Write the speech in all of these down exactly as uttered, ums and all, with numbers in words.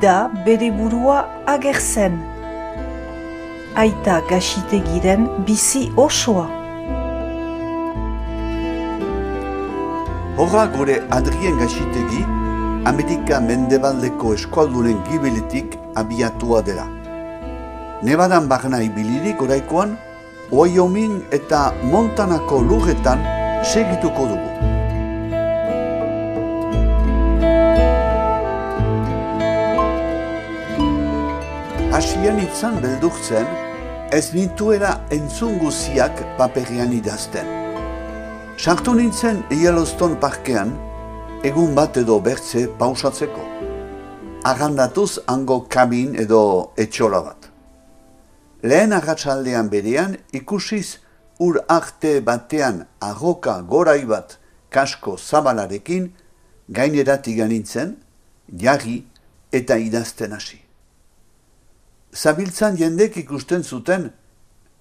da bere burua agertzen. Aita Gaxitegiren bizi osoa. Horra gure Adrien Gaxitegi, Amerika Mendebaldeko eskualdunen gibeletik abiatua dela. Nevadan barna ibilirik oraikoan, Wyoming eta Montanako lurretan segituko dugu. Hasian itzan beldurtzen, ez nituela entzun guziak paperian idazten. Sartu nintzen Yellowstone parkean, egun bat edo bertze pausatzeko. Arrandatuz hango kabin edo etxola bat. Lehen arratsaldean berean ikusiz ur arte batean arroka gorai bat kasko zabalarekin gaineratik nintzen, jarri eta idazten hasi. Zabiltzan jendek ikusten zuten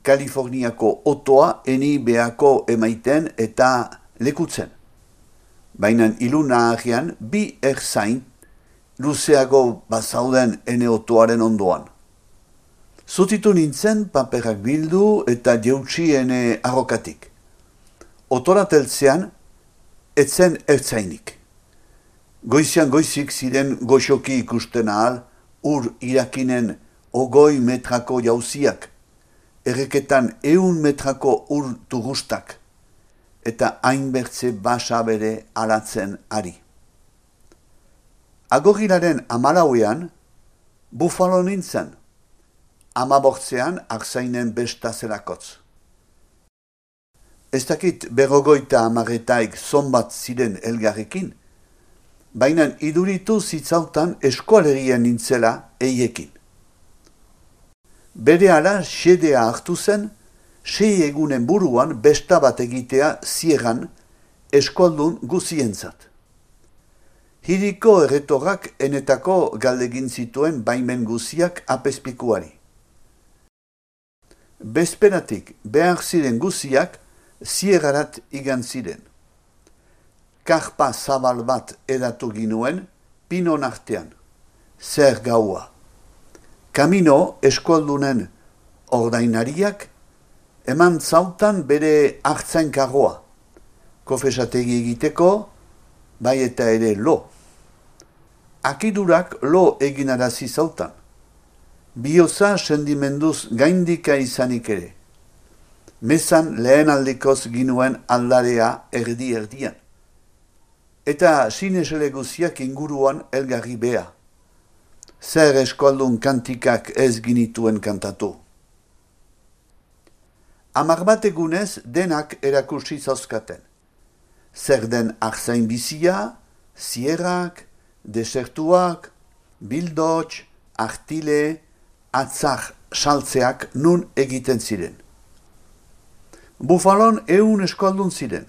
Kaliforniako otoa eni beako emaiten eta lekutzen. Baina iluna ahian bi erzain luzeago bazauden ene otoaren ondoan. Zutitu nintzen paperak bildu eta jeutsi ene arrokatik. Otora teltzean etzen ertzainik. Goizian goizik ziren goxoki ikusten ahal ur irakinen ogoi metrako jauziak, erreketan eun metrako ur tugustak, eta hainbertze basa bere alatzen ari. Agorrilaren amalauean, bufalo nintzen, amabortzean arzainen besta zelakotz. Ez dakit berrogoita amaretaik zonbat ziren elgarrekin, baina iduritu zitzautan eskualerien nintzela eiekin. Berehala xedea hartu zen, sei egunen buruan besta bat egitea ziegan eskualdun guzientzat. Hiriko erretorrak enetako galdegin zituen baimen guziak apezpikuari. Bezperatik behar ziren guziak ziegarat igan ziren. Karpa zabal bat edatu ginuen pinon artean, zer gaua. Kamino eskualdunen ordainariak eman zautan bere hartzain karroa, kofesategi egiteko, bai eta ere lo. Akidurak lo eginarazi zautan, bioza sendimenduz gaindika izanik ere. Mezan lehen aldikoz ginuen aldarea erdi-erdian. Eta sinesele guziak inguruan elgarri bea. Zer eskualdun kantikak ez ginituen kantatu. Amar bat egunez denak erakursi zauzkaten. Zer den arzain bizia, zierrak, desertuak, bildots, artile, atzak saltzeak nun egiten ziren. Bufalon eun eskualdun ziren.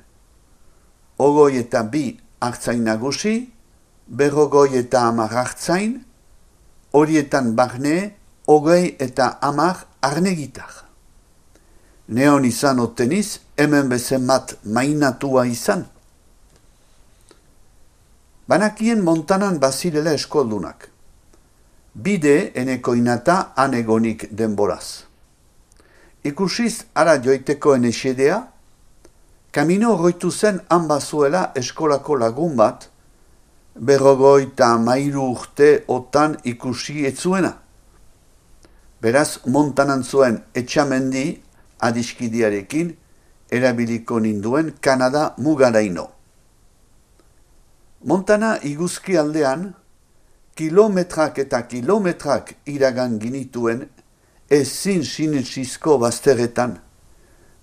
Ogoi eta bi artzain nagusi, berrogoi eta amar artzain, horietan barne, ogei eta amar arnegitar. Neon izan oteniz, hemen bezemat mainatua izan. Banakien Montanan bazirela eskoldunak. Bide eneko inata anegonik denboraz. Ikusiz ara joiteko ene xedea, kamino horroitu zen han bazuela eskolako lagun bat, berrogoita mairu urte otan ikusi etzuena. Beraz, Montanan zuen etxamendi adiskidiarekin erabiliko ninduen Kanada mugaraino. Montana iguzki aldean, kilometrak eta kilometrak iragan ginituen ezin sinetsizko bazterretan,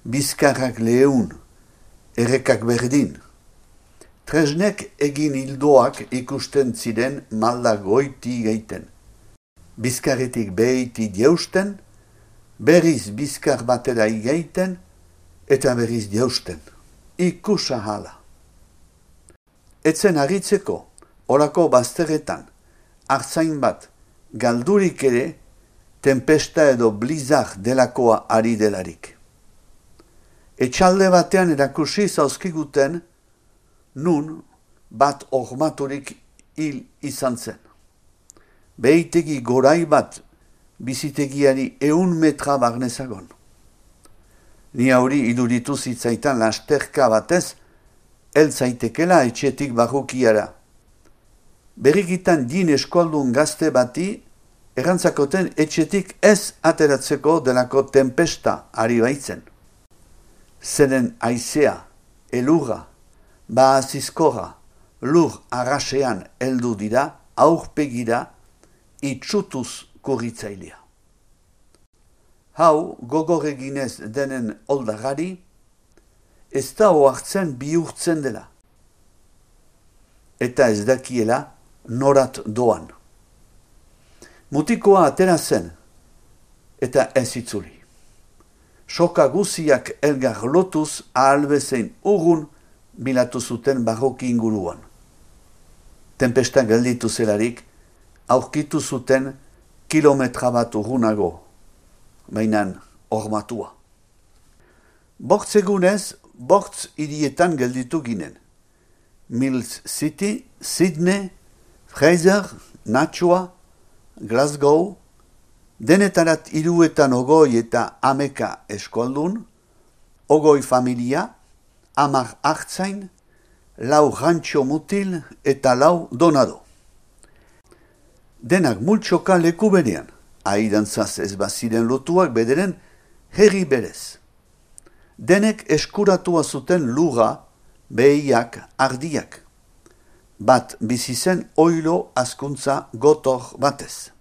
bizkarrak leun, errekak berdin. Tresnek egin hildoak ikusten ziren malda goiti geiten. Bizkarretik behiti jeusten, berriz bizkar batera igeiten, eta berriz jeusten. Ikusa hala. Etzen aritzeko, orako bazterretan, artzain bat, galdurik ere, tempesta edo blizar delakoa ari delarik. Etxalde batean erakusi zauzkiguten, nun bat ormaturik hil izan zen. behitegi gorai bat bizitegiari eun metra barnezagon. Ni hauri iduritu zitzaitan lasterka batez, eltzaitekela etxetik barrukiara. Berrikitan din eskoldun gazte bati, errantzakoten etxetik ez ateratzeko delako tempesta ari baitzen. Zeren aizea, elurra, baazizkorra, lur arrasean heldu dira, aurpegira, itxutuz kurritzailea. Hau, gogoreginez denen oldagari, ez da oartzen bihurtzen dela. Eta ez dakiela norat doan. Mutikoa atera zen, eta ez itzuli. Soka guziak elgar lotuz ahalbezein urrun bilatu zuten barroki inguruan. Tempesta gelditu zelarik, aurkitu zuten kilometra bat urrunago, bainan hormatua. Bortz egunez, bortz hirietan gelditu ginen. Mills City, Sydney, Fraser, Nashua, Glasgow, denetarat hiruetan ogoi eta ameka eskoldun, ogoi familia, hamar hartzain, lau rantxo mutil eta lau donado. Denak multxoka leku berean, aidantzaz ez baziren lotuak bederen herri berez. Denek eskuratua zuten lura, behiak, ardiak. Bat bizi zen oilo azkuntza gotor batez.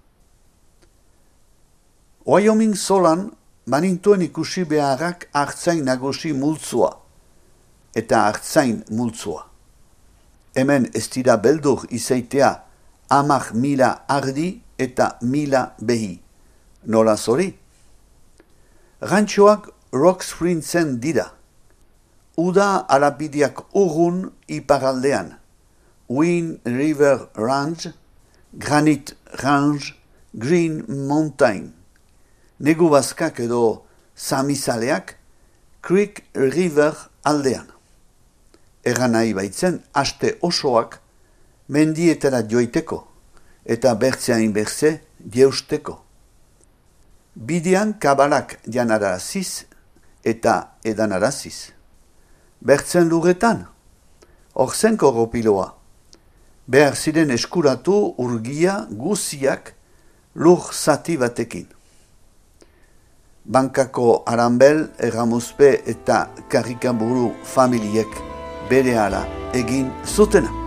Wyoming solan banintuen ikusi beharrak hartzain nagusi multzua eta hartzain multzua. Hemen ez dira beldur izaitea amak mila ardi eta mila behi. Nola zori? Rantxoak Rock Springsen dira. Uda alapidiak urrun iparaldean. Wind River Range, Granite Range, Green Mountain. Negu bazkak edo samizaleak Creek River aldean. Egan nahi baitzen aste osoak mendietara joiteko eta bertzeain bertze jeusteko. Bidean kabalak janaraziz eta edanaraziz. Bertzen lurretan, hor zen korropiloa. Behar ziren eskuratu urgia guziak lur zati batekin. Bankako Arambel, Erramuzpe eta Karikaburu familiek berehala egin zutena.